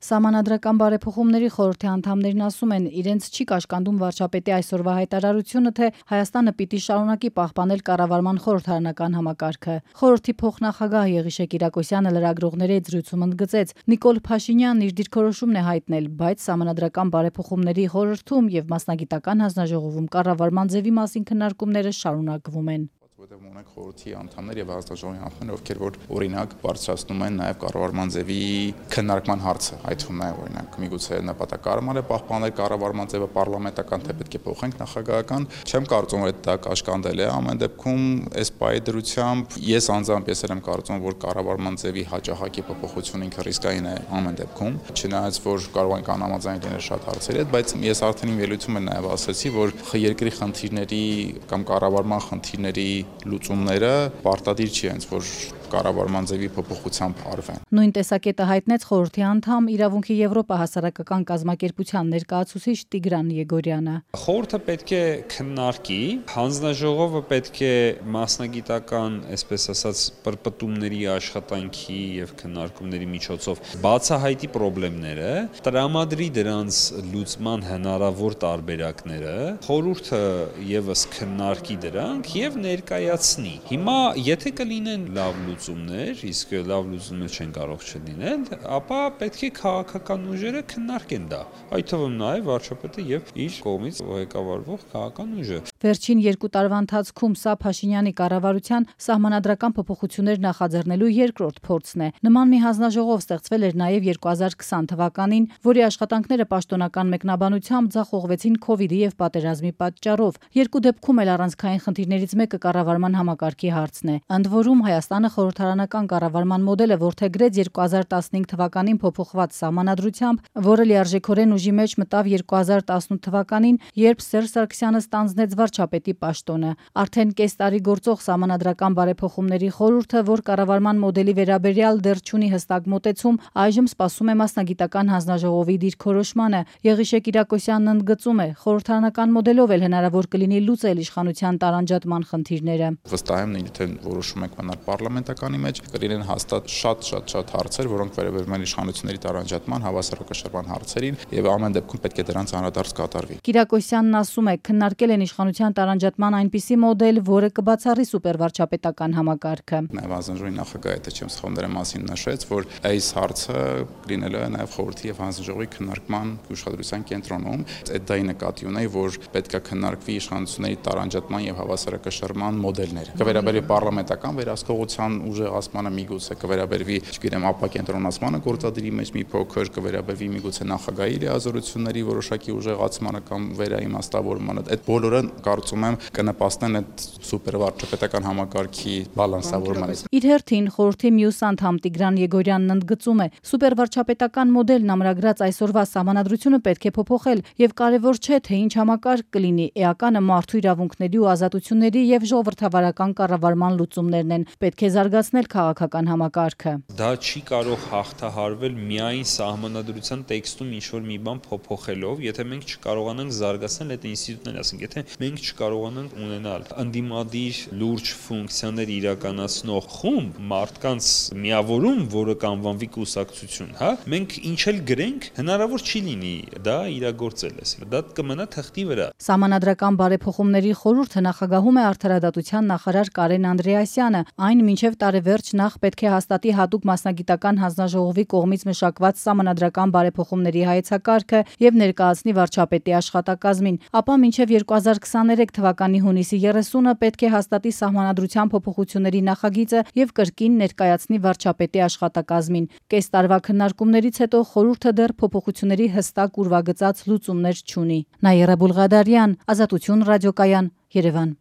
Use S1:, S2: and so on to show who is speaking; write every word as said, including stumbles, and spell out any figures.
S1: Սահմանադրական բարեփոխումների խորհրդի անդամներն ասում են, իրենց չի կաշկանդում վարչապետի այսօրվա հայտարարությունը, թե Հայաստանը պիտի շարունակի պահպանել կառավարման խորհրդարանական համակարգը։ Խորհրդի փոխնախագահ Եղիշե Կիրակոսյանը լրագրողների հետ զրույցում ընդգծեց, Նիկոլ Փաշինյանն իր դիրքորոշումն է հայտնել, բայց Սահմանադրական բարեփոխումների խորհրդում եւ մասնագիտական հանձնաժողովում կառավարման ձևի մասին քննարկումները շարունակվում են։
S2: Որտեղ ունենք խորհրդի անդամներ եւ հանձնաժողովի անդամներ, ովքեր որ օրինակ բարձրացնում են նաեւ կառավարման ձևի քննարկման հարցը, այդ թվում նաեւ օրինակ միգուցե նպատակարարման է պահպանել կառավարման ձևը պարլամենտական, թե պետք է փոխենք նախագահական, չեմ կարծում որ դա կաշկանդել է, ամեն դեպքում այս պայի դրությամբ ես անձամբ ես եմ կարծում որ կառավարման ձևի հաջողակի փոփոխությունը ինքը ռիսկային է ամեն դեպքում, չնայած որ կարող են անհամաձայն լինել շատ հարցերի հետ, բայց ես արդեն իմ ելույթում եմ նաեւ ասացի, որ երկրի խնդիրների կամ կառավարման խնդիրների լուծումները պարտադիր չի հենց որ կառավարման ձևի փոփոխությամբ արվեն։
S1: Նույն տեսակետը հայտնեց խորհրդի անդամ Իրավունքի Եվրոպա հասարակական կազմակերպության ներկայացուցիչ Տիգրան Եգորյանը։
S3: Խորհուրդը պետք է քննարկի, հանձնաժողովը պետք է մասնագիտական, այսպես ասած, պրպտումների աշխատանքի եւ քննարկումների միջոցով բացահայտի խնդիրները, տրամադրի դրանց լուծման հնարավոր տարբերակները, խորհուրդը եւս քննարկի դրանք եւ ներկայացնի։ Հիմա եթե կլինեն լավ լուծումներ, իսկ լավ լուծումներ չեն կարող չլինել, ապա պետք է քաղաքական ուժերը քննարկեն դա։ Այդ թվում նաև վարչապետը եւ իր կողմից ղեկավարվող քաղաքական ուժը։
S1: Վերջին երկու տարվա ընթացքում սա Փաշինյանի կառավարության սահմանադրական փոփոխություններ նախաձեռնելու երկրորդ փորձն է։ Նման մի հանձնաժողով ստեղծվել էր նաև երկու հազար քսան թվականին, որի աշխատանքները պաշտոնական մեկնաբանությամբ ձախողվեցին քովիդի եւ պատերազմի պատճառով։ Երկու դեպքում էլ առանցքային խնդիրներից մեկը կառավարման համակարգի հարցն է։ Ընդ որում Հայաստանը խորհրդարանական կառավարման մոդելը որդեգրեց երկու հազար տասնհինգ թվականին փոփոխված սահմանադրությամբ, որը լիարժեքորեն ուժի մեջ մտավ երկու հազար տասնութ թվականին, երբ Սերժ Սարգսյանը ստանձնեց վարչապետի պաշտոնը։ Արդեն կես տարի գործող Սահմանադրական բարեփոխումների խորհուրդը, որ կառավարման մոդելի վերաբերյալ դեռ չունի հստակ մոտեցում, այժմ սպասում է մասնագիտական հանձնաժողովի դիրքորոշմանը։ Եղիշե Կիրակոսյանն ընդգծում է, խորհրդարանական մոդելով էլ հնարավոր կլինի լուծել իշխանության տարանջատման խնդիրները։
S2: Վստահ եմ, թե որոշում եք մնալ պարլամենտականի մեջ, կլինեն հաստատ շատ-շատ-շատ հարցեր, որոնք վերաբերում են իշխանությունների տարանջատման, հավասարակշռման հարցերին, եւ ամեն դեպքում պետք է դրանց անդրադարձ կատարվի։
S1: Կիրակոսյանն ասում է, քննարկել են իշխանության տարանջատման այնպիսի մոդել, որը կբացառի սուպերվարչապետական համակարգը։
S2: Նաեւ հանձնաժողովի նախագահը, եթե չեմ սխալվում, դրա մասին նշեց, որ այս հարցը լինելու է նաեւ խորհրդի եւ հանձնաժողովի քննարկման ուշադրության կենտրոնում։ Այդ դա ի նկատի ունեի, որ պետք է քննարկվի իշխանությունների տարանջատման եւ հավասարակշռման մոդելները։ Կվերաբերի պարլամենտական վերահսկողության ուժեղացմանը միգուցե կվերաբերվի, չգիտեմ, ապակենտրոնացմանը գործադիրի մեջ մի փոքր կվերաբերվի միգուցե նախագահի լիազորությունների որոշակի ուժեղացմանը կամ վերաիմաստավորմանը։ Այդ բոլորը կարծում եմ կնպաստեն այդ սուպերվարչապետական համակարգի բալանսավորմանը։
S1: Իր հերթին խորհրդի մյուս անդամ Տիգրան Եգորյանն ընդգծում է, սուպերվարչապետական մոդելն ամրագրած այսօրվա սահմանադրությունը պետք է փոփոխել եւ կարեւոր չէ թե ինչ համակարգ կլինի, էականը մարդու իրավունքների ու ազատությունների եւ ժողովրդավարական կառավարման լուծումներն են, պետք է զարգացնել քաղաքական համակարգը։
S3: Դա չի կարող հաղթահարվել միայն սահմանադրության տեքստում ինչ-որ մի բան փոփոխելով, եթե մենք չկարողանանք զարգացնել այդ ինստիտուտները, ասենք, եթե մենք չկարողանանք ունենալ ընդդիմադիր լուրջ ֆունկցիաներ իրականացնող խումբ, մարդկանց միավորում, որը կանվանվի կուսակցություն, հա, մենք ինչ էլ գրենք, հնարավոր չի լինի դա իրագործել, այսինքն դա կմնա թղթի վրա։
S1: Սահմանադրական բարեփոխումների խորհուրդը նախագահում է արդարադատության նախարար Կարեն Անդրեասյանը, այն մինչև տարեվերջ նախ պետք է հաստատի հատուկ մասնագիտական հանձնաժողովի կողմից մշակված սահմանադրական բարեփոխումների հայեցակարգը եւ ներկայացնի վարչապետի աշխատակազմին, ապա մինչև երկու հազար քսաներեք թվականի հունիսի երեսունը պետք է հաստատի սահմանադրության փոփոխությունների նախագիծը եւ կրկին ներկայացնի վարչապետի աշխատակազմին։ Կես տարվա քննարկումներից հետո խորհուրդը դեռ փոփոխությունների հստակ ուրվագծած լուծումներ չունի։ Նաիրա Բուլղադարյան, Ազատություն ռադիոկայան, Երևան։